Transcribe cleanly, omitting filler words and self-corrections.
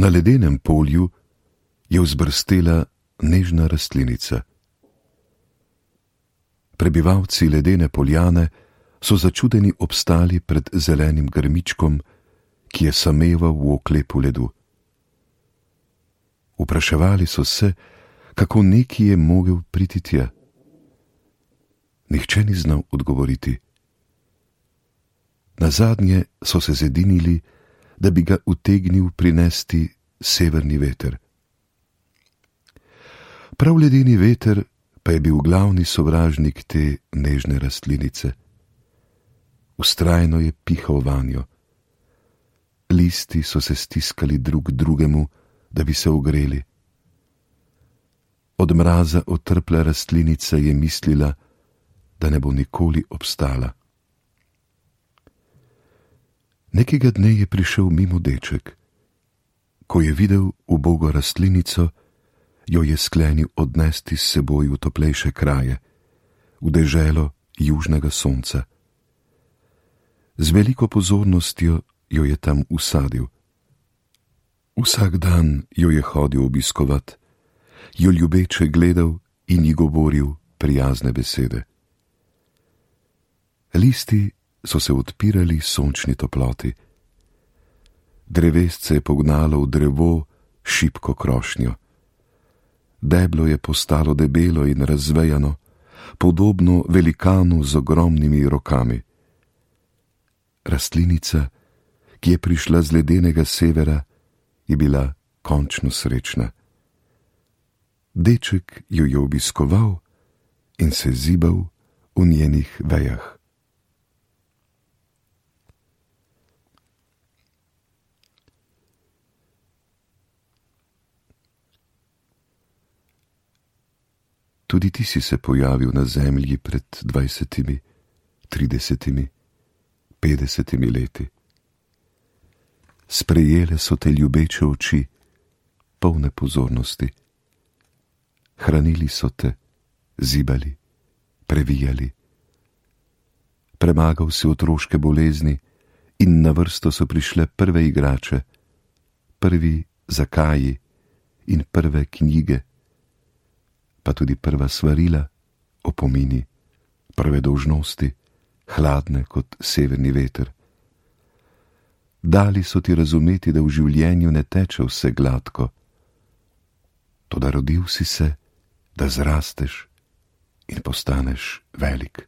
Na ledenem polju je vzbrstela nežna rastlinica. Prebivalci ledene poljane so začudeni obstali pred zelenim grmičkom, ki je sameval v oklepu ledu. Vpraševali so se, kako neki je mogel priti tja. Nihče ni znal odgovoriti. Nazadnje so se zedinili, da bi ga utegnil prinesti severni veter. Prav ledeni veter pa je bil glavni sovražnik te nežne rastlinice. Vztrajno je pihal vanjo. Listi so se stiskali drug drugemu, da bi se ogreli. Od mraza otrpla rastlinica je mislila, da ne bo nikoli obstala. Nekega dne je prišel mimo deček. Ko je videl ubogo rastlinico, jo je sklenil odnesti s seboj v toplejše kraje, v deželo južnega sonca. Z veliko pozornostjo jo je tam usadil. Vsak dan jo je hodil obiskovat, jo ljubeče gledal in ji govoril prijazne besede. Listi so se odpirali sončni toploti. Drevesce je pognalo v drevo šibko krošnjo. Deblo je postalo debelo in razvejano, podobno velikanu z ogromnimi rokami. Rastlinica, ki je prišla z ledenega severa, je bila končno srečna. Deček jo je obiskoval in se zibal v njenih vejah. Tudi ti si se pojavil na zemlji pred 20, 30, 50 leti. Sprejele so te ljubeče oči, polne pozornosti. Hranili so te, zibali, previjali. Premagal si otroške bolezni in na vrsto so prišle prve igrače, prvi zakaji in prve knjige, pa tudi prva svarila, opomini, prve dolžnosti, hladne kot severni veter. Dali so ti razumeti, da v življenju ne teče vse gladko, toda rodil si se, da zrasteš in postaneš velik.